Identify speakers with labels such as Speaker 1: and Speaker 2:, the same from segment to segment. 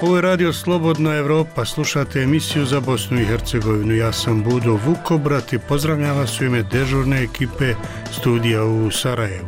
Speaker 1: Ovo je Radio Slobodna Evropa, slušate emisiju za Bosnu i Hercegovinu. Ja sam Budo Vukobrat i pozdravljam vas u ime dežurne ekipe studija u Sarajevu.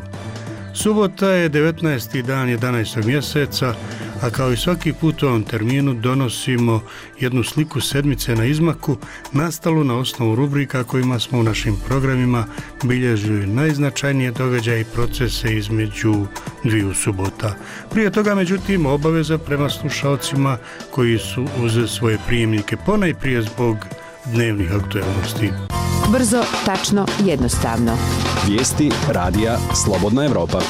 Speaker 1: Subota je 19. dan 11. mjeseca, a kao i svaki put u ovom terminu donosimo jednu sliku sedmice na izmaku, nastalu na osnovu rubrika kojima smo u našim programima bilježili najznačajnije događaje i procese između dviju subota. Prije toga, međutim, obaveza prema slušalcima koji su uz svoje prijemnike, ponajprije zbog dnevnih aktualnosti.
Speaker 2: Brzo, tačno, jednostavno.
Speaker 3: Vijesti radija Slobodna Evropa.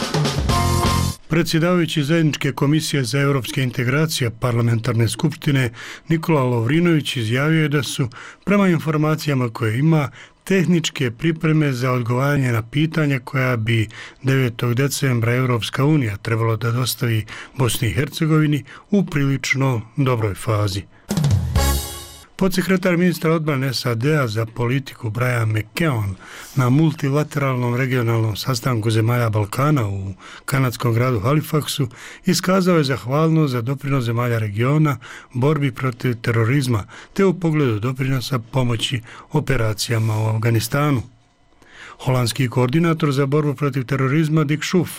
Speaker 1: Predsjedavajući Zajedničke komisije za europske integracije Parlamentarne skupštine Nikola Lovrinović izjavio je da su, prema informacijama koje ima, tehničke pripreme za odgovaranje na pitanja koja bi 9. decembra Europska unija trebalo da dostavi Bosni i Hercegovini u prilično dobroj fazi. Podsekretar ministra odbrane SAD-a za politiku Brian McKeon na multilateralnom regionalnom sastanku zemalja Balkana u kanadskom gradu Halifaxu iskazao je zahvalnost za doprinos zemalja regiona borbi protiv terorizma te u pogledu doprinosa pomoći operacijama u Afganistanu. Holandski koordinator za borbu protiv terorizma Dick Schoof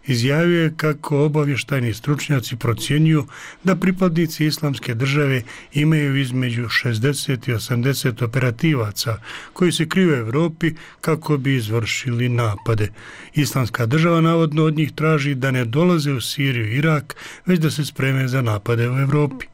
Speaker 1: izjavio je kako obavještajni stručnjaci procjenjuju da pripadnici Islamske države imaju između 60 i 80 operativaca koji se kriju u Europi kako bi izvršili napade. Islamska država navodno od njih traži da ne dolaze u Siriju i Irak, već da se spreme za napade u Europi.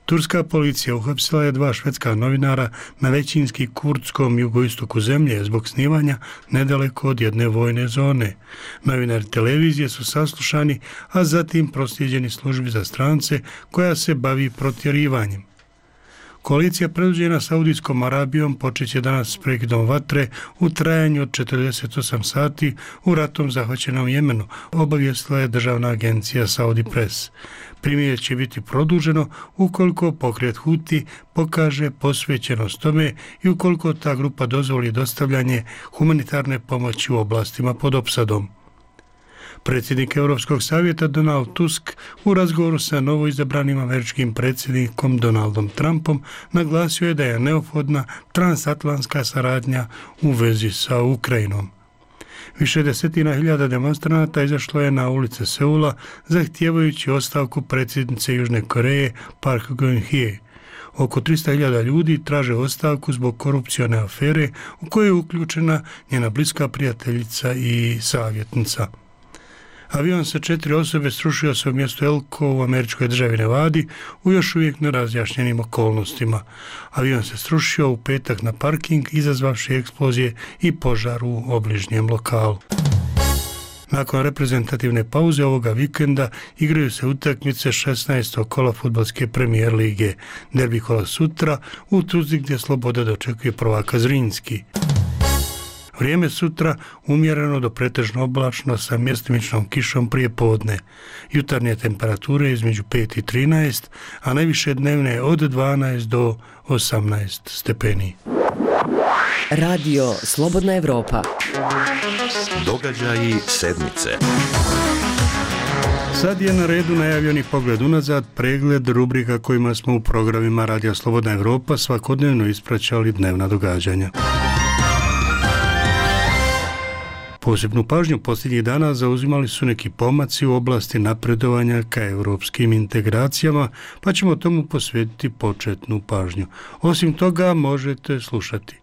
Speaker 1: Turska policija uhapsila je 2 švedska novinara na većinski kurdskom jugoistoku zemlje zbog snimanja nedaleko od jedne vojne zone. Novinari televizije su saslušani, a zatim proslijeđeni službi za strance koja se bavi protjerivanjem. Koalicija predvođena Saudijskom Arabijom počeće danas s prekidom vatre u trajanju od 48 sati u ratom zahvaćenom Jemenu, obavijestila je državna agencija Saudi Press. Primirje će biti produženo ukoliko pokret Huti pokaže posvećenost tome i ukoliko ta grupa dozvoli dostavljanje humanitarne pomoći u oblastima pod opsadom. Predsjednik Europskog savjeta Donald Tusk u razgovoru sa novoizabranim američkim predsjednikom Donaldom Trumpom naglasio je da je neophodna transatlantska saradnja u vezi sa Ukrajinom. Više desetina hiljada demonstranata izašlo je na ulice Seula zahtijevajući ostavku predsjednice Južne Koreje Park Geun-hye. Oko 300.000 ljudi traže ostavku zbog korupcione afere u kojoj je uključena njena bliska prijateljica i savjetnica. Avion sa 4 osobe srušio se u mjestu Elko u američkoj državi Nevadi u još uvijek nerazjašnjenim okolnostima. Avion se srušio u petak na parking, izazvavši eksplozije i požar u obližnjem lokalu. Nakon reprezentativne pauze ovoga vikenda igraju se utakmice 16. kola fudbalske premijer lige. Derbi kola sutra u Tuzli gdje Sloboda dočekuje prvaka Zrinski. Vrijeme sutra umjereno do pretežno oblačno sa mjestimičnom kišom prije podne. Jutarnje temperature između 5 i 13, a najviše dnevne od 12 do 18 stepeni.
Speaker 2: Radio Slobodna Evropa.
Speaker 3: Događaji sedmice.
Speaker 1: Sad je na redu najavljeni pogled unazad, pregled rubrika kojima smo u programima Radija Slobodna Evropa svakodnevno ispraćali dnevna događanja. Posebnu pažnju posljednjih dana zauzimali su neki pomaci u oblasti napredovanja ka europskim integracijama, pa ćemo tomu posvetiti početnu pažnju. Osim toga možete slušati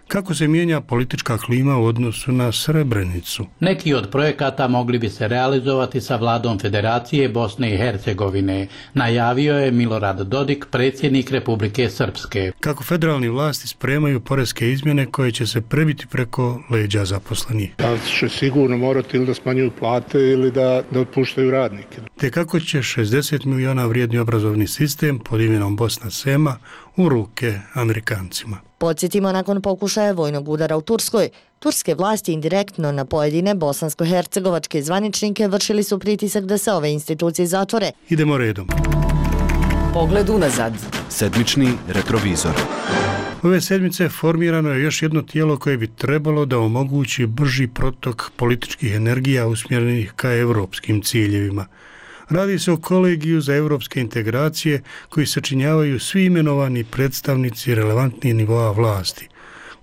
Speaker 1: kako se mijenja politička klima u odnosu na Srebrenicu.
Speaker 4: Neki od projekata mogli bi se realizovati sa vladom Federacije Bosne i Hercegovine, najavio je Milorad Dodik, predsjednik Republike Srpske.
Speaker 1: Kako federalni vlasti spremaju poreske izmjene koje će se prebiti preko leđa zaposlenih.
Speaker 5: Da će sigurno morati ili da smanjuju plate ili da otpuštaju radnike.
Speaker 1: Te kako će 60 miliona vrijedni obrazovni sistem pod imenom Bosna Sema u ruke Amerikancima.
Speaker 6: Podsjetimo, nakon pokušaja vojnog udara u Turskoj, turske vlasti indirektno na pojedine bosansko-hercegovačke zvaničnike vršili su pritisak da se ove institucije zatvore.
Speaker 1: Idemo redom.
Speaker 2: Pogled unazad.
Speaker 3: Sedmični retrovizor.
Speaker 1: Ove sedmice formirano je još jedno tijelo koje bi trebalo da omogući brži protok političkih energija usmjerenih ka evropskim ciljevima. Radi se o kolegiju za europske integracije koji sačinjavaju svi imenovani predstavnici relevantnih nivoa vlasti.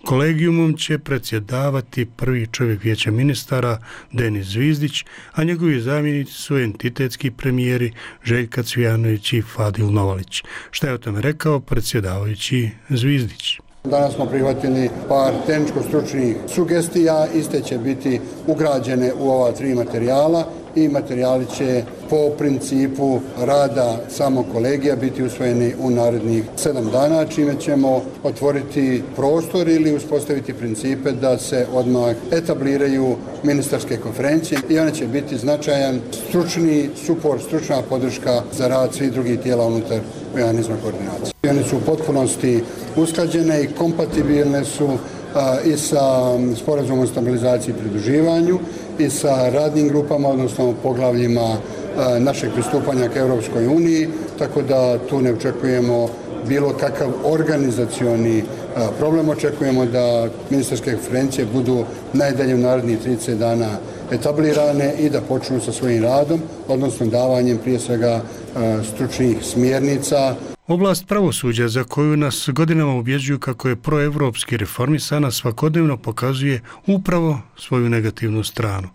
Speaker 1: Kolegijumom će predsjedavati prvi čovjek vijeća ministara Denis Zvizdić, a njegovi zamjenici su entitetski premijeri Željka Cvijanović i Fadil Novalić. Šta je o tome rekao predsjedavajući Zvizdić?
Speaker 7: Danas smo prihvatili par tehničko-stručnih sugestija, iste će biti ugrađene u ova 3 materijala i materijali će po principu rada samog kolegija biti usvojeni u narednih 7 dana, čime ćemo otvoriti prostor ili uspostaviti principe da se odmah etabliraju ministarske konferencije i one će biti značajan stručni suport, stručna podrška za rad svih drugih tijela unutar mehanizma koordinacije. One su u potpunosti usklađene i kompatibilne su i sa sporazumom o stabilizaciji i pridruživanju i sa radnim grupama, odnosno poglavljima našeg pristupanja ka Europskoj uniji, tako da tu ne očekujemo bilo kakav organizacioni problem. Očekujemo da ministarske konferencije budu najdalje u narednih 30 dana etablirane i da počnu sa svojim radom, odnosno davanjem prije svega stručnih smjernica.
Speaker 1: Oblast pravosuđa, za koju nas godinama ubjeđuju kako je proevropski reformisana, svakodnevno pokazuje upravo svoju negativnu stranu.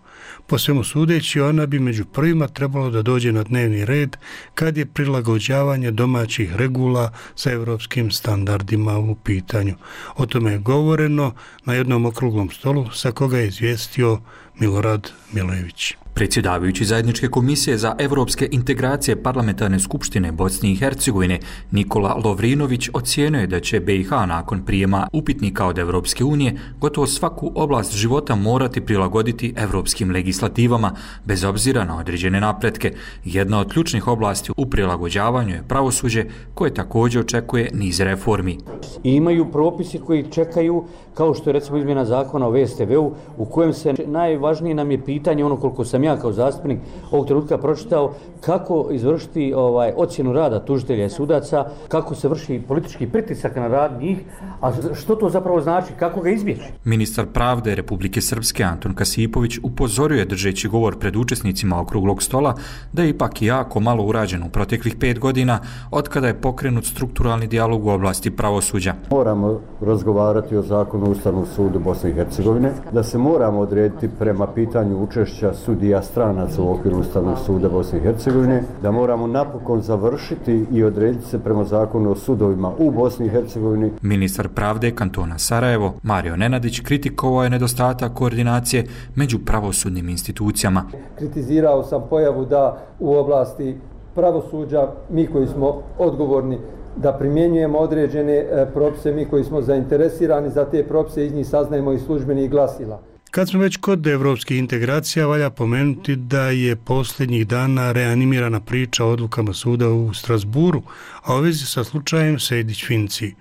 Speaker 1: Po svemu sudeći, ona bi među prvima trebalo da dođe na dnevni red kad je prilagođavanje domaćih regula sa europskim standardima u pitanju. O tome je govoreno na jednom okruglom stolu sa koga je izvijestio Milorad Milojević.
Speaker 8: Predsjedavajući zajedničke komisije za evropske integracije Parlamentarne skupštine Bosne i Hercegovine Nikola Lovrinović ocijenio je da će BiH nakon prijema upitnika od Evropske unije gotovo svaku oblast života morati prilagoditi evropskim legislativama bez obzira na određene napretke. Jedna od ključnih oblasti u prilagođavanju je pravosuđe koje također očekuje niz reformi.
Speaker 9: I imaju propisi koji čekaju, kao što je recimo izmjena zakona o VSTV-u, u kojem se najvažnije nam je pitanje, ono koliko sam ja kao zastupnik ovog trenutka pročitao, kako izvršiti ocjenu rada tužitelja i sudaca, kako se vrši politički pritisak na rad njih, a što to zapravo znači, kako ga izbjeći.
Speaker 8: Ministar pravde Republike Srpske Anton Kasipović upozorio je držeći govor pred učesnicima okruglog stola da je ipak jako malo urađeno u proteklih 5 godina od kada je pokrenut strukturalni dijalog u oblasti pravosuđa.
Speaker 10: Moramo razgovarati o zakonu o Ustavnom sudu Bosne i Hercegovine, da se moramo odrediti prema pitanju učešća sudija stranaca u okviru Ustavnog suda Bosne i Hercegovine, da moramo napokon završiti i odrediti se prema zakonu o sudovima u Bosni i Hercegovini.
Speaker 8: Ministar pravde kantona Sarajevo Mario Nenadić kritikovao je nedostatak koordinacije među pravosudnim institucijama.
Speaker 11: Kritizirao sam pojavu da u oblasti pravosuđa mi koji smo odgovorni da primjenjujemo određene propise, mi koji smo zainteresirani za te propise, iz njih saznajemo i službenih glasila.
Speaker 1: Kad smo već kod evropskih integracija, valja pomenuti da je posljednjih dana reanimirana priča o odlukama suda u Strasburu, a u vezi sa slučajem Sejdić-Finci.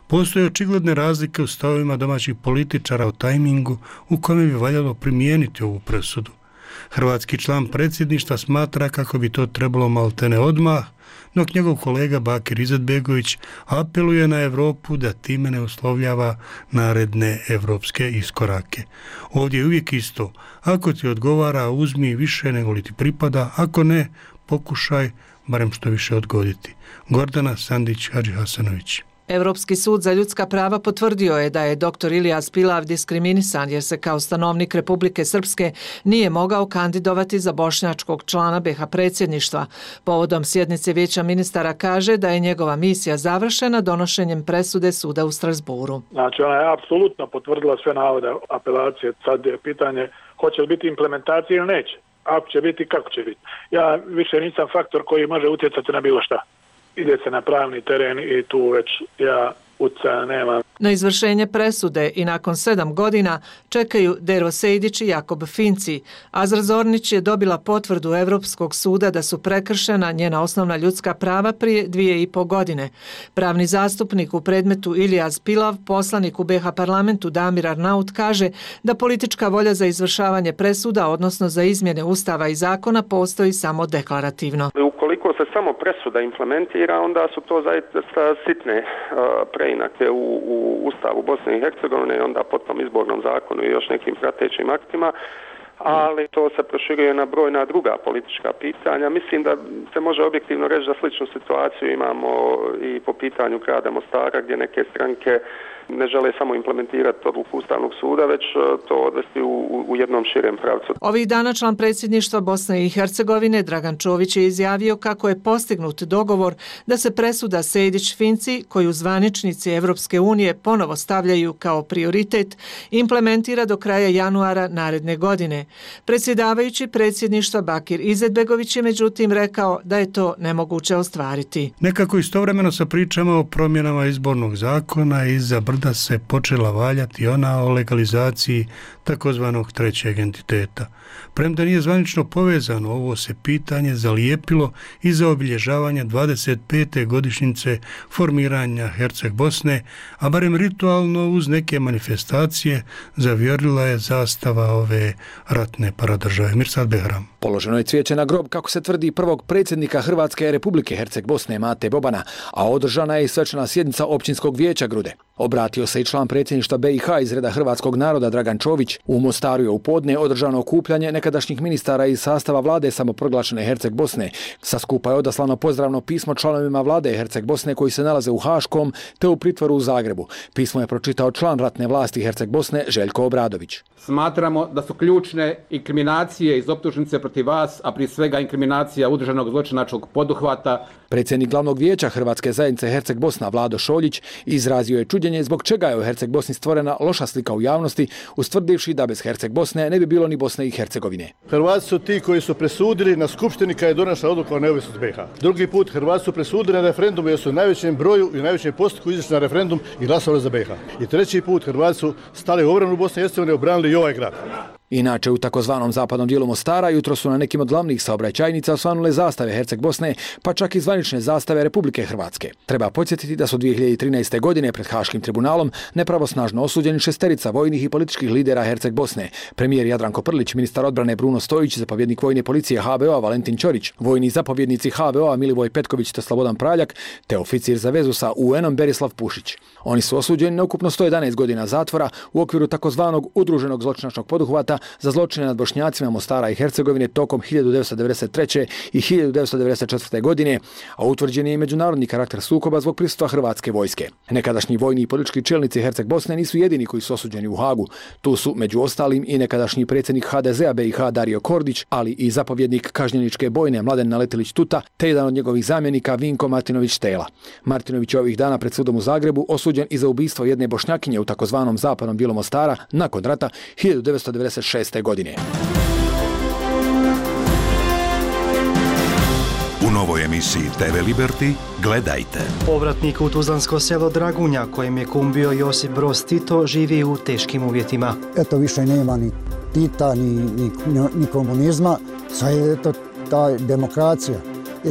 Speaker 1: Postoje očigledne razlike u stavovima domaćih političara o tajmingu u kome bi valjalo primijeniti ovu presudu. Hrvatski član predsjedništva smatra kako bi to trebalo maltene odmah, dok njegov kolega Bakir Izetbegović apeluje na Europu da time ne uslovljava naredne evropske iskorake. Ovdje je uvijek isto. Ako ti odgovara, uzmi više nego li ti pripada, ako ne, pokušaj barem što više odgoditi. Gordana Sandić-Hadžihasanović.
Speaker 12: Europski sud za ljudska prava potvrdio je da je dr. Ilijaz Pilav diskriminisan jer se kao stanovnik Republike Srpske nije mogao kandidovati za bošnjačkog člana BiH predsjedništva. Povodom sjednice Vijeća ministara kaže da je njegova misija završena donošenjem presude suda u Strasburu.
Speaker 13: Znači ona je apsolutno potvrdila sve navode apelacije. Sad je pitanje hoće li biti implementacija ili neće. Ako će biti, kako će biti. Ja više nisam faktor koji može utjecati na bilo šta. Ide se na pravni teren i tu već ja utjecaja nemam.
Speaker 12: Na izvršenje presude i nakon 7 godina čekaju Dero Sejdić i Jakob Finci. Azra Zornić je dobila potvrdu Europskog suda da su prekršena njena osnovna ljudska prava prije 2,5 godine. Pravni zastupnik u predmetu Ilijaz Pilav, poslanik u BiH parlamentu Damir Arnaut kaže da politička volja za izvršavanje presuda, odnosno za izmjene ustava i zakona, postoji samo deklarativno.
Speaker 14: Ukoliko se samo presuda implementira, onda su to zaista sitne preinake u Ustavu Bosne i Hercegovine i onda potom izbornom zakonu i još nekim pratećim aktima, ali to se proširuje na brojna druga politička pitanja. Mislim da se može objektivno reći da sličnu situaciju imamo i po pitanju grada Mostara, gdje neke stranke ne žele samo implementirati odluku Ustavnog suda, već to odvesti u jednom širem pravcu.
Speaker 12: Ovih dana član predsjedništva Bosne i Hercegovine Dragan Čović je izjavio kako je postignut dogovor da se presuda Sejdić-Finci, koju zvaničnici Evropske unije ponovo stavljaju kao prioritet, implementira do kraja januara naredne godine. Predsjedavajući predsjedništva Bakir Izetbegović je međutim rekao da je to nemoguće ostvariti.
Speaker 1: Nekako istovremeno sa pričama o promjenama izbornog zakona iza brda se počela valjati ona o legalizaciji takozvanog trećeg entiteta. Premda nije zvanično povezano, ovo se pitanje zalijepilo iza obilježavanja 25. godišnjice formiranja Herceg Bosne, a barem ritualno uz neke manifestacije zavijorila je zastava ove ratne paradržave. Mirsad Behram.
Speaker 15: Položeno je cvijeće na grob, kako se tvrdi, prvog predsjednika Hrvatske Republike Herceg Bosne Mate Bobana, a održana je i svečana sjednica općinskog vijeća Grude. Obratio se i član predsjedništva BiH iz reda hrvatskog naroda Dragan Čović. U Mostaru je u podne održano okupljanje nekadašnjih ministara iz sastava vlade samoproglašene Herceg Bosne. Sa skupa je odaslano pozdravno pismo članovima vlade Herceg Bosne koji se nalaze u Haškom te u pritvoru u Zagrebu. Pismo je pročitao član ratne vlasti Herceg Bosne Željko Obradović.
Speaker 16: Smatramo da su ključne inkriminacije iz optužnice protiv vas, a prije svega inkriminacija udruženog zločinačkog poduhvata.
Speaker 15: Predsjednik glavnog vijeća Hrvatske zajednice Herceg Bosna Vlado Šoljić izrazio je čuđenje zbog čega je u Herceg Bosni stvorena loša slika u javnosti, ustvrdivši da bez Herceg Bosne ne bi bilo ni Bosne i Hercegovine.
Speaker 17: Hrvati su ti koji su presudili na skupštini kad je donesla odluka o neovisnosti BiH. Drugi put Hrvati su presudili na referendumu jer su u najvećem broju i u najvećem postotku izašli na referendum i glasovali za BiH. I treći put Hrvati su stali u obranu Bosne i Hercegovine i obranili i ovaj grad.
Speaker 15: Inače, u takozvanom zapadnom dijelu Mostara jutro su na nekim od glavnih saobraćajnica osvanule zastave Herceg Bosne, pa čak i zvanične zastave Republike Hrvatske. Treba podsjetiti da su 2013. godine pred Haškim tribunalom nepravosnažno osuđeni 6 vojnih i političkih lidera Herceg Bosne. Premijer Jadranko Prlić, ministar odbrane Bruno Stojić, zapovjednik vojne policije HVO-a Valentin Ćorić, vojni zapovjednici HVO-a Milivoj Petković te Slobodan Praljak, te oficir za vezu sa UN-om Berislav Pušić. Oni su osuđeni na ukupno 111 godina zatvora u okviru takozvanog udruženog zločinačkog poduhvata za zločine nad Bošnjacima Mostara i Hercegovine tokom 1993. i 1994. godine, a utvrđen je i međunarodni karakter sukoba zbog prisustva hrvatske vojske. Nekadašnji vojni i politički čelnici Herceg Bosne nisu jedini koji su osuđeni u Hagu. Tu su među ostalim i nekadašnji predsjednik HDZ-a BiH Dario Kordić, ali i zapovjednik kažnjeničke bojne Mladen Naletilić Tuta, te jedan od njegovih zamjenika Vinko Martinović Tela. Martinović je ovih dana pred sudom u Zagrebu osuđen i za ubistvo jedne Bošnjakinje u takozvanom zapadnom dijelu Mostara nakon rata 1996. godine.
Speaker 18: U novoj emisiji TV Liberty gledajte.
Speaker 19: Povratnik u tuzlansko selo Dragunja, kojem je kum bio Josip Broz Tito, živi u teškim uvjetima.
Speaker 20: Eto, više nema ni Tita, ni komunizma, sad je eto ta demokracija.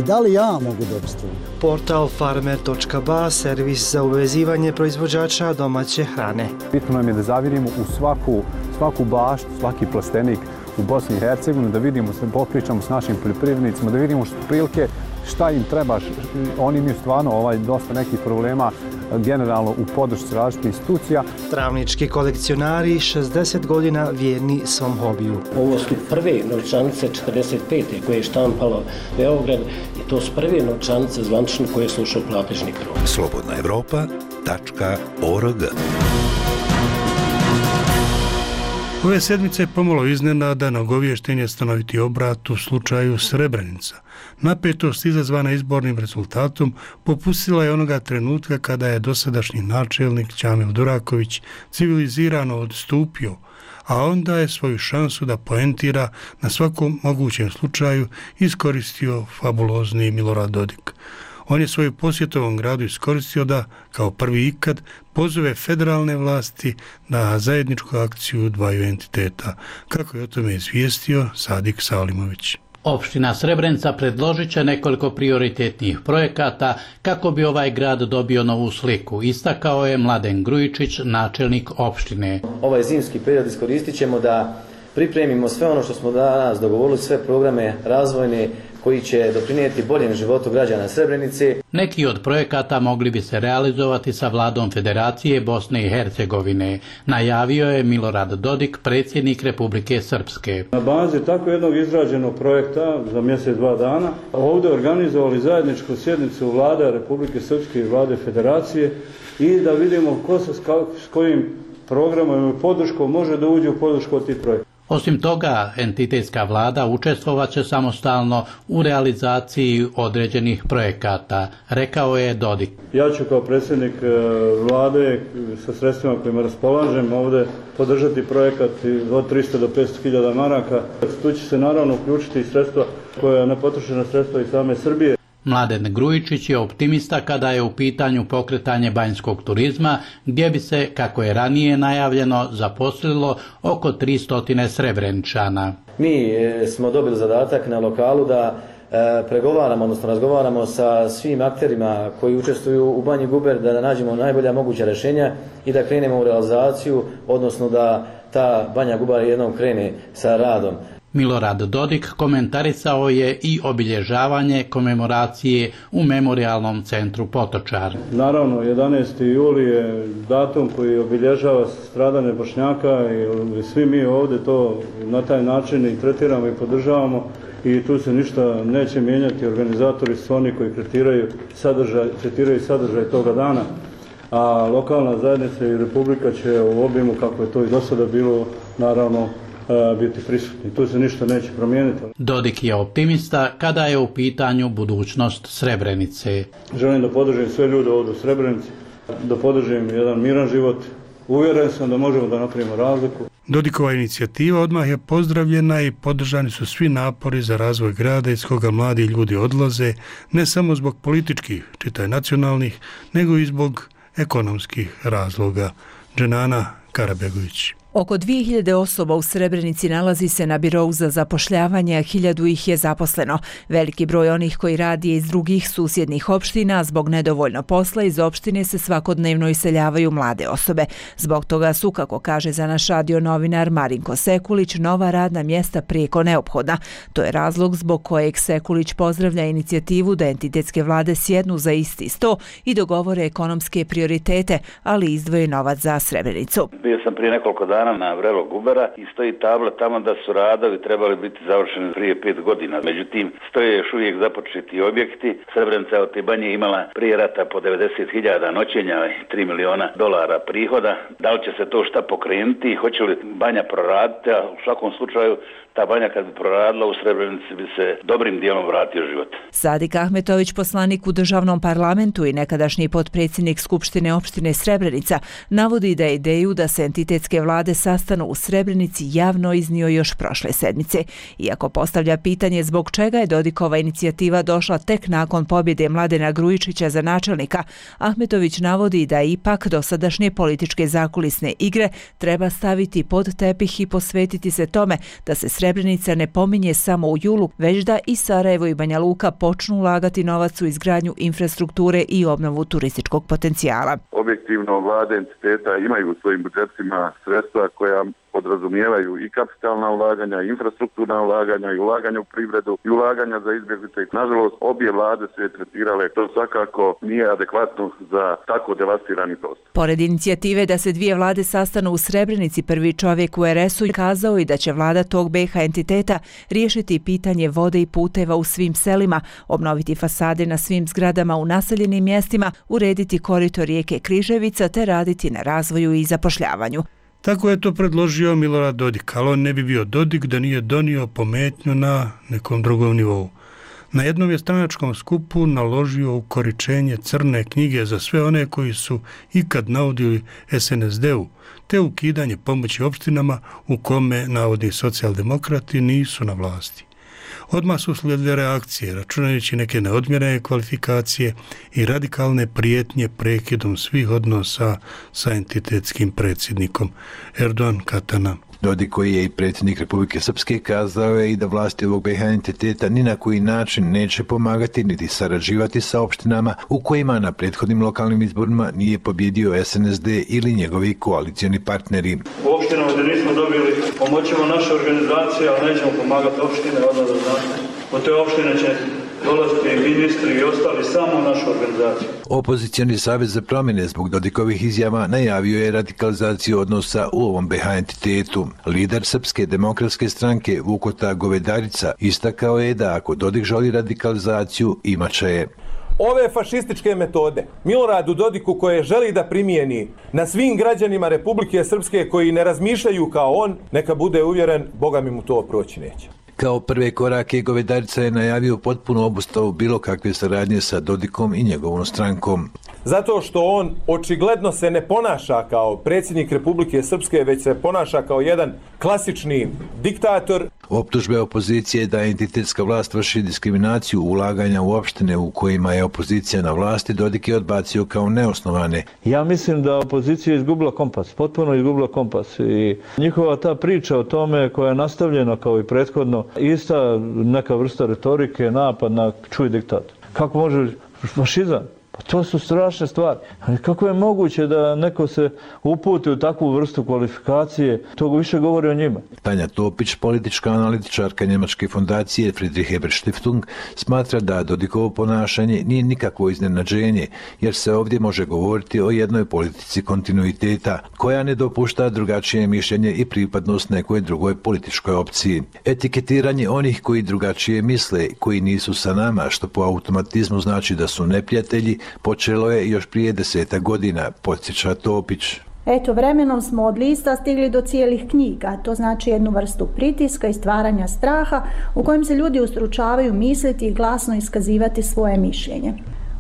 Speaker 20: Da li ja mogu dobiti struju?
Speaker 19: Portal farmer.ba, servis za uvezivanje proizvođača domaće hrane.
Speaker 21: Bitno nam je da zavirimo u svaku baštu, svaki plastenik u Bosni i Hercegovini, da vidimo, popričamo s našim poljoprivrednicima, da vidimo prilike šta im treba. Oni imaju stvarno dosta nekih problema generalno u podršci različitih institucija.
Speaker 19: Travnički kolekcionari 60 godina vjerni svom hobiju.
Speaker 22: Ovo su prve novčanice 45. koje je štampalo Beograd i to su prve novčanice zvanične koje su ušle u platežni krug.
Speaker 18: slobodnaevropa.org.
Speaker 1: Ove sedmice pomalo iznenada nagoviješten je stanoviti obrat u slučaju Srebrenica. Napetost izazvana izbornim rezultatom popustila je onoga trenutka kada je dosadašnji načelnik Ćamil Duraković civilizirano odstupio, a onda je svoju šansu da poentira na svakom mogućem slučaju iskoristio fabulozni Milorad Dodik. On je svoju posjet ovom gradu iskoristio da, kao prvi ikad, pozove federalne vlasti na zajedničku akciju dvaju entiteta, kako je o tome izvijestio Sadik Salimović.
Speaker 4: Opština Srebrenica predložit će nekoliko prioritetnih projekata kako bi ovaj grad dobio novu sliku, istakao je Mladen Grujičić, načelnik opštine.
Speaker 23: Ovaj zimski period iskoristit ćemo da pripremimo sve ono što smo danas dogovorili, sve programe razvojne
Speaker 5: koji će doprinijeti boljem životu građana Srebrenice.
Speaker 4: Neki od projekata mogli bi se realizovati sa vladom Federacije Bosne i Hercegovine, najavio je Milorad Dodik, predsjednik Republike Srpske.
Speaker 6: Na bazi tako jednog izrađenog projekta za mjesec, 2 dana, ovdje organizovali zajedničku sjednicu vlada Republike Srpske i vlade Federacije i da vidimo ko se s kojim programom i podrškom može da uđe u podršku od tih projekta.
Speaker 4: Osim toga, entitetska vlada učestvovaće samostalno u realizaciji određenih projekata, rekao je Dodik.
Speaker 6: Ja ću kao predsjednik vlade sa sredstvima kojima raspolažem ovdje podržati projekat od 300 do 500 hiljada maraka. Tu će se naravno uključiti i sredstva koja nepotrošena sredstva iz same Srbije.
Speaker 4: Mladen Grujičić je optimista kada je u pitanju pokretanje banjskog turizma, gdje bi se, kako je ranije najavljeno, zaposlilo oko 300 Srebreničana.
Speaker 5: Mi smo dobili zadatak na lokalu da pregovaramo, odnosno razgovaramo sa svim akterima koji učestvuju u Banji Guber, da nađemo najbolja moguća rješenja i da krenemo u realizaciju, odnosno da ta Banja Guber jednom krene sa radom.
Speaker 4: Milorad Dodik komentarisao je i obilježavanje komemoracije u Memorijalnom centru Potočar.
Speaker 6: Naravno, 11. juli je datum koji obilježava stradanje Bošnjaka i svi mi ovdje to na taj način i tretiramo i podržavamo i tu se ništa neće mijenjati. Organizatori su oni koji tretiraju sadržaj toga dana, a lokalna zajednica i Republika će u obimu, kako je to i do sada bilo, naravno, biti prisutni. Tu se ništa neće promijeniti.
Speaker 4: Dodik je optimista kada je u pitanju budućnost Srebrenice.
Speaker 6: Želim da podržim sve ljude ovdje u Srebrenici, da podržim jedan miran život. Uvjeren sam da možemo da napravimo razliku.
Speaker 1: Dodikova inicijativa odmah je pozdravljena i podržani su svi napori za razvoj grada iz koga mladi ljudi odlaze, ne samo zbog političkih, čitaj nacionalnih, nego i zbog ekonomskih razloga. Dženana Karabegović.
Speaker 23: Oko 2000 osoba u Srebrenici nalazi se na birou za zapošljavanje, a 1000 ih je zaposleno. Veliki broj onih koji radi iz drugih susjednih opština, zbog nedovoljno posla iz opštine se svakodnevno iseljavaju mlade osobe. Zbog toga su, kako kaže za naš radio novinar Marinko Sekulić, nova radna mjesta prijeko neophodna. To je razlog zbog kojeg Sekulić pozdravlja inicijativu da entitetske vlade sjednu za isti sto i dogovore ekonomske prioritete, ali izdvoje novac za Srebrenicu.
Speaker 24: Bio sam prije nekoliko dana na vrelo Gubera i stoji tabla tamo da su radovi trebali biti završeni prije 5 godina. Međutim, stoje još uvijek započeti objekti. Srebrenica od te banje imala prije rata po 90.000 noćenja i $3 miliona prihoda. Da li će se to šta pokrenuti? Hoće li banja proraditi? A u svakom slučaju ta banja kad bi proradila u Srebrenici bi se dobrim dijelom vratio život.
Speaker 23: Sadik Ahmetović, poslanik u državnom parlamentu i nekadašnji potpredsjednik Skupštine opštine Srebrenica, navodi da je ideju da se entitetske vlade sastanu u Srebrenici javno iznio još prošle sedmice. Iako postavlja pitanje zbog čega je Dodikova inicijativa došla tek nakon pobjede Mladena Grujičića za načelnika, Ahmetović navodi da ipak dosadašnje političke zakulisne igre treba staviti pod tepih i posvetiti se tome da se Srebrenica ne pominje samo u julu, već da i Sarajevo i Banja Luka počnu ulagati novac u izgradnju infrastrukture i obnovu turističkog potencijala.
Speaker 25: Objektivno, vlade entiteta imaju u svojim budžetima sredstva koja podrazumijevaju i kapitalna ulaganja, i infrastrukturna ulaganja, i ulaganja u privredu, i ulaganja za izbjeglice. Nažalost, obje vlade su je tretirale. To svakako nije adekvatno za tako devastirani prostor.
Speaker 23: Pored inicijative da se dvije vlade sastanu u Srebrenici, prvi čovjek u RS-u kazao i da će vlada tog BiH entiteta riješiti pitanje vode i puteva u svim selima, obnoviti fasade na svim zgradama u naseljenim mjestima, urediti korito rijeke Križevica te raditi na razvoju i zapošljavanju.
Speaker 1: Tako je to predložio Milorad Dodik, ali on ne bi bio Dodik da nije donio pometnju na nekom drugom nivou. Na jednom je stranačkom skupu naložio ukoričenje crne knjige za sve one koji su ikad naudili SNSD-u, te ukidanje pomoći opštinama u kome navodni socijaldemokrati nisu na vlasti. Odmah su slijedile reakcije, računajući neke neodmjerene kvalifikacije i radikalne prijetnje prekidom svih odnosa sa entitetskim predsjednikom. Erdogan Katana.
Speaker 26: Dodik, koji je i predsjednik Republike Srpske, kazao je i da vlasti ovog BiH entiteta ni na koji način neće pomagati niti sarađivati sa opštinama u kojima na prethodnim lokalnim izborima nije pobjedio SNSD ili njegovi koalicijoni partneri.
Speaker 6: U opštinama gdje nismo dobili, pomoćemo naše organizacije, ali nećemo pomagati opštine, odmah da znate. Od te opštine će dolaziti ministri i ostali samo u našu organizaciju.
Speaker 26: Opozicioni savez za promjene zbog Dodikovih izjava najavio je radikalizaciju odnosa u ovom BiH entitetu. Lider Srpske demokratske stranke Vukota Govedarica istakao je da ako Dodik želi radikalizaciju, imaće je.
Speaker 2: Ove fašističke metode Miloradu Dodiku koje želi da primijeni na svim građanima Republike Srpske koji ne razmišljaju kao on, neka bude uvjeren, Boga mi mu to proći neće.
Speaker 26: Kao prve korake Govedarica je najavio potpunu obustavu bilo kakve saradnje sa Dodikom i njegovom strankom.
Speaker 2: Zato što on očigledno se ne ponaša kao predsjednik Republike Srpske, već se ponaša kao jedan klasični diktator.
Speaker 26: Optužbe opozicije da entitetska vlast vrši diskriminaciju ulaganja u opštine u kojima je opozicija na vlasti, Dodik je odbacio kao neosnovane.
Speaker 6: Ja mislim da opozicija je izgubila kompas, potpuno izgubila kompas i njihova ta priča o tome koja je nastavljena kao i prethodno, ista neka vrsta retorike, napad na čuj diktator. Kako može fašizam? Pa to su strašne stvari. Ali kako je moguće da neko se uputi u takvu vrstu kvalifikacije, to više govori o njima.
Speaker 26: Tanja Topić, politička analitičarka njemačke fondacije Friedrich Ebert Stiftung, smatra da Dodikovo ponašanje nije nikakvo iznenađenje, jer se ovdje može govoriti o jednoj politici kontinuiteta, koja ne dopušta drugačije mišljenje i pripadnost nekoj drugoj političkoj opciji. Etiketiranje onih koji drugačije misle, koji nisu sa nama, što po automatizmu znači da su neprijatelji, počelo je još prije 10 godina, podsjeća Topić.
Speaker 3: Eto, vremenom smo od lista stigli do cijelih knjiga, to znači jednu vrstu pritiska i stvaranja straha u kojem se ljudi ustručavaju misliti i glasno iskazivati svoje mišljenje.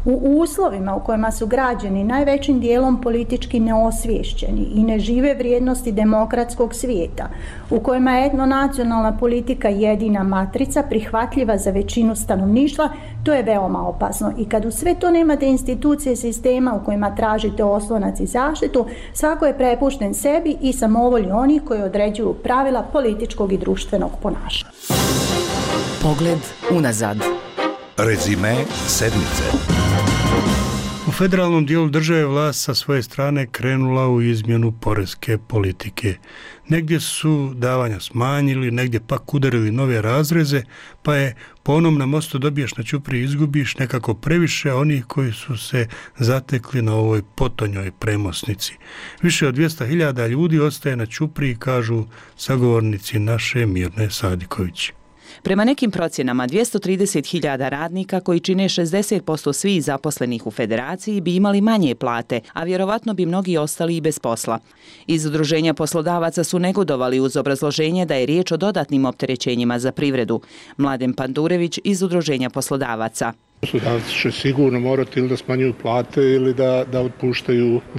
Speaker 3: U uslovima u kojima su građani najvećim dijelom politički neosviješćeni i ne žive vrijednosti demokratskog svijeta, u kojima je etnonacionalna politika jedina matrica prihvatljiva za većinu stanovništva, to je veoma opasno. I kad u sve to nemate institucije sistema u kojima tražite oslonac i zaštitu, svako je prepušten sebi i samovolji onih koji određuju pravila političkog i društvenog ponašanja.
Speaker 7: Pogled unazad.
Speaker 18: Rezime sedmice.
Speaker 1: U federalnom dijelu države vlast sa svoje strane krenula u izmjenu poreske politike. Negdje su davanja smanjili, negdje pak udarili nove razreze, pa je po onom na mostu dobiješ na ćupriji izgubiš nekako previše onih koji su se zatekli na ovoj potonjoj premosnici. Više od 200.000 ljudi ostaje na ćupriji, kažu sagovornici naše Mirne Sadiković.
Speaker 7: Prema nekim procjenama, 230.000 radnika koji čine 60% svih zaposlenih u federaciji bi imali manje plate, a vjerovatno bi mnogi ostali i bez posla. Iz Udruženja poslodavaca su negodovali uz obrazloženje da je riječ o dodatnim opterećenjima za privredu. Mladen Pandurević iz Udruženja poslodavaca.
Speaker 8: Poslodavci će sigurno morati ili da smanjuju plate ili da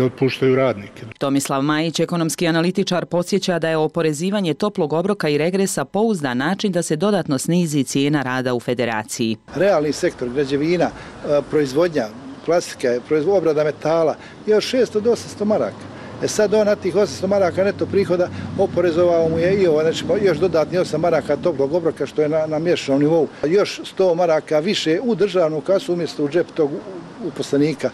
Speaker 8: otpuštaju radnike.
Speaker 7: Tomislav Majić, ekonomski analitičar, podsjeća da je oporezivanje toplog obroka i regresa pouzdan način da se dodatno snizi cijena rada u federaciji.
Speaker 9: Realni sektor, građevina, proizvodnja, plastike, obrada metala je od 600 do 800 maraka. Sad on na tih 800 maraka neto prihoda oporezovao mu je i znači još dodatni 8 maraka toplog obroka što je na mjesečnom nivou. Još 100 maraka više u državnu kasu umjesto u džep tog uposlenika.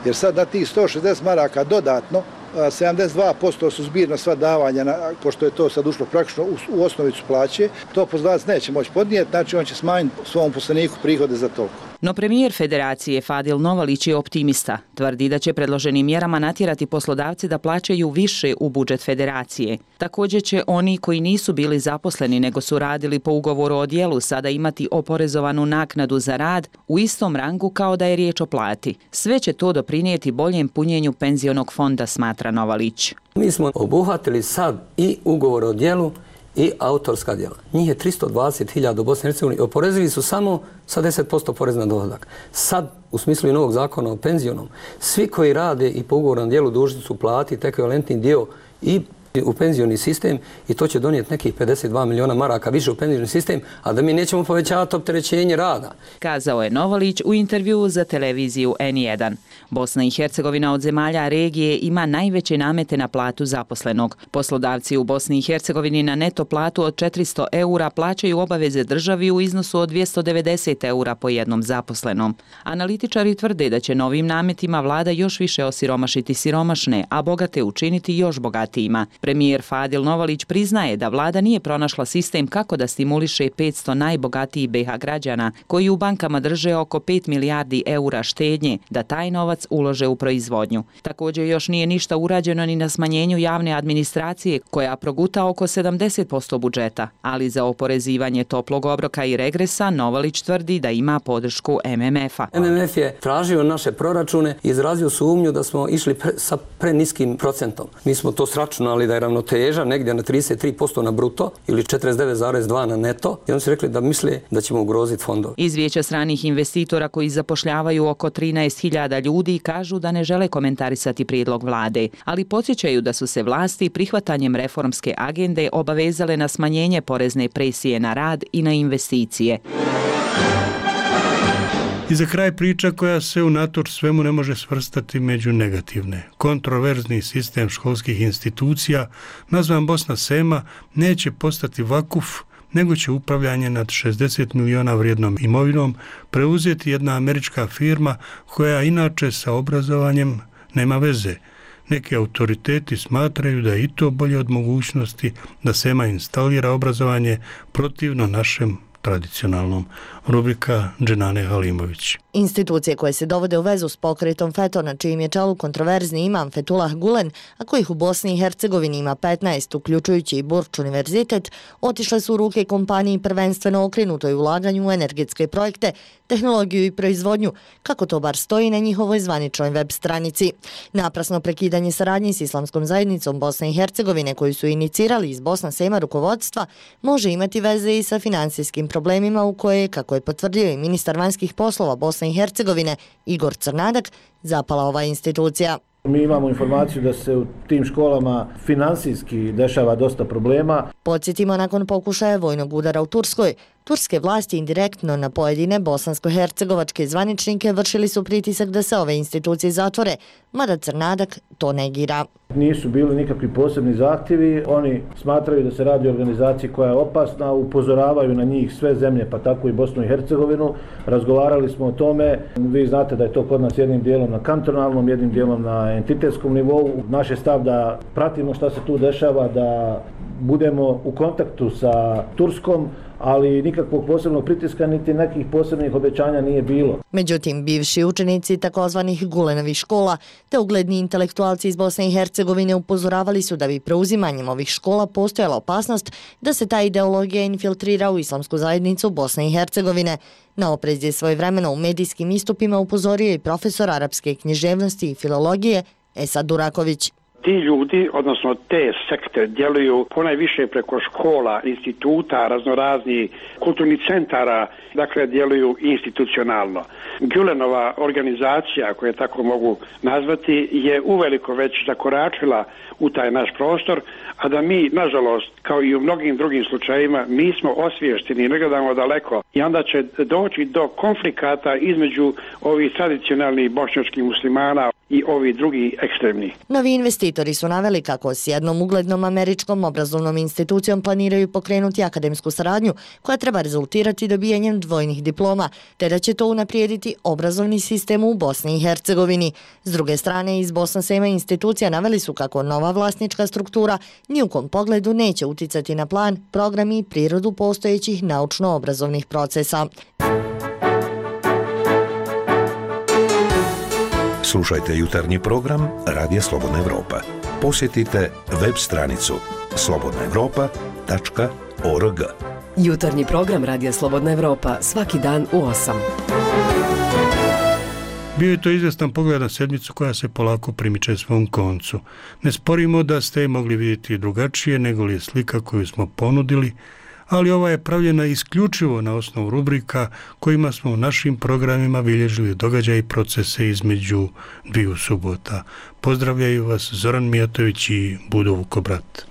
Speaker 9: Jer sad na tih 160 maraka dodatno 72% su zbirno sva davanja, pošto je to sad ušlo praktično u osnovicu plaće, to poslodavac neće moći podnijeti, znači on će smanjiti svom uposleniku prihode za toliko.
Speaker 7: No premijer federacije Fadil Novalić je optimista. Tvrdi da će predloženim mjerama natjerati poslodavce da plaćaju više u budžet federacije. Također će oni koji nisu bili zaposleni nego su radili po ugovoru o djelu sada imati oporezovanu naknadu za rad u istom rangu kao da je riječ o plati. Sve će to doprinijeti boljem punjenju penzionog fonda, smatra Novalić.
Speaker 10: Mi smo obuhvatili sad i ugovor o djelu i autorska djela. Njih je 320.000 u Bosni i Hercegovini. Oporezivi su samo sa 10% porez na dohodak. Sad, u smislu i novog zakona o penzionom, svi koji rade i po ugovornom djelu dužni su platiti ekvivalentni dio i u penzioni sistem i to će donijeti nekih 52 miliona maraka više u penzioni sistem, a da mi nećemo povećavati opterećenje rada.
Speaker 7: Kazao je Novalić u intervjuu za televiziju N1. Bosna i Hercegovina od zemalja regije ima najveće namete na platu zaposlenog. Poslodavci u Bosni i Hercegovini na neto platu od 400 eura plaćaju obaveze državi u iznosu od 290 eura po jednom zaposlenom. Analitičari tvrde da će novim nametima vlada još više osiromašiti siromašne, a bogate učiniti još bogatijima. Premijer Fadil Novalić priznaje da vlada nije pronašla sistem kako da stimuliše 500 najbogatijih BiH građana koji u bankama drže oko 5 milijardi eura štednje da taj novac ulože u proizvodnju. Također još nije ništa urađeno ni na smanjenju javne administracije koja proguta oko 70% budžeta, ali za oporezivanje toplog obroka i regresa Novalić tvrdi da ima podršku MMF-a.
Speaker 10: MMF je tražio naše proračune i izrazio sumnju da smo išli sa preniskim procentom. Mi smo to sračunali da je ravnoteža negdje na 33% na bruto ili 49,2% na neto i oni su rekli da misle da ćemo ugroziti fondove.
Speaker 7: Izvješća stranih investitora koji zapošljavaju oko 13.000 ljudi kažu da ne žele komentarisati prijedlog vlade, ali podsjećaju da su se vlasti prihvatanjem reformske agende obavezale na smanjenje porezne presije na rad i na investicije.
Speaker 1: I za kraj priča koja se unatoč svemu ne može svrstati među negativne. Kontroverzni sistem školskih institucija, nazvan Bosna Sema, neće postati vakuf, nego će upravljanje nad 60 miliona vrijednom imovinom preuzeti jedna američka firma koja inače sa obrazovanjem nema veze. Neki autoriteti smatraju da je i to bolje od mogućnosti da Sema instalira obrazovanje protivno našem tradicionalnom. Rubrika Dženane Halimović.
Speaker 11: Institucije koje se dovode u vezu s pokretom FETO, na čijim je čelu kontroverzni imam Fethullah Gulen, a kojih u Bosni i Hercegovini ima 15, uključujući i Burč univerzitet, otišle su u ruke kompaniji prvenstveno okrenutoj ulaganju u energetske projekte, tehnologiju i proizvodnju, kako to bar stoji na njihovoj zvaničnoj web stranici. Naprasno prekidanje saradnje s Islamskom zajednicom Bosne i Hercegovine, koju su inicirali iz Bosna Sema rukovodstva, može imati veze i sa finansijskim problemima u koje, kako je potvrdio i ministar vanjskih poslova Bosne i Hercegovine Igor Crnadak, zapala ova institucija.
Speaker 12: Mi imamo informaciju da se u tim školama finansijski dešava dosta problema.
Speaker 11: Podsjetimo, nakon pokušaja vojnog udara u Turskoj, turske vlasti indirektno na pojedine bosansko-hercegovačke zvaničnike vršili su pritisak da se ove institucije zatvore, mada Crnadak to negira.
Speaker 12: Nisu bili nikakvi posebni zahtjevi, oni smatraju da se radi o organizaciji koja je opasna, upozoravaju na njih sve zemlje, pa tako i Bosnu i Hercegovinu. Razgovarali smo o tome, vi znate da je to kod nas jednim dijelom na kantonalnom, jednim dijelom na entitetskom nivou. Naš je stav da pratimo šta se tu dešava, da budemo u kontaktu sa Turskom, ali nikakvog posebnog pritiska niti nekih posebnih obećanja nije bilo.
Speaker 11: Međutim, bivši učenici takozvanih Gulenovih škola te ugledni intelektualci iz Bosne i Hercegovine upozoravali su da bi preuzimanjem ovih škola postojala opasnost da se ta ideologija infiltrira u islamsku zajednicu Bosne i Hercegovine. Na oprez je svojevremeno u medijskim istupima upozorio i profesor arapske književnosti i filologije Esad Duraković.
Speaker 13: Ti ljudi, odnosno te sekte, djeluju ponajviše preko škola, instituta, raznoraznih kulturnih centara, dakle djeluju institucionalno. Gulenova organizacija, koju tako mogu nazvati, je uveliko već zakoračila u taj naš prostor, a da mi, nažalost, kao i u mnogim drugim slučajevima, nismo osviješteni i ne gledamo daleko. I onda će doći do konflikata između ovih tradicionalnih bošnjačkih muslimana i ovi drugi ekstremni.
Speaker 11: Novi investitori su naveli kako s jednom uglednom američkom obrazovnom institucijom planiraju pokrenuti akademsku saradnju koja treba rezultirati dobijanjem dvojnih diploma, te da će to unaprijediti obrazovni sistem u Bosni i Hercegovini. S druge strane, iz Bosna Sema institucija naveli su kako nova vlasnička struktura ni u kom pogledu neće uticati na plan, program i prirodu postojećih naučno-obrazovnih procesa.
Speaker 18: Slušajte jutarnji program Radija Slobodna Evropa. Posjetite web stranicu slobodnaevropa.org.
Speaker 14: Jutarnji program Radija Slobodna Evropa svaki dan u 8.
Speaker 1: Bio je to izvestan pogled na sedmicu koja se polako primiče svom koncu. Ne sporimo da ste je mogli vidjeti drugačije nego li je slika koju smo ponudili, ali ova je pravljena isključivo na osnovu rubrika kojima smo u našim programima bilježili događaje i procese između dviju subota. Pozdravljaju vas Zoran Mijatović i Budo Vukobrat.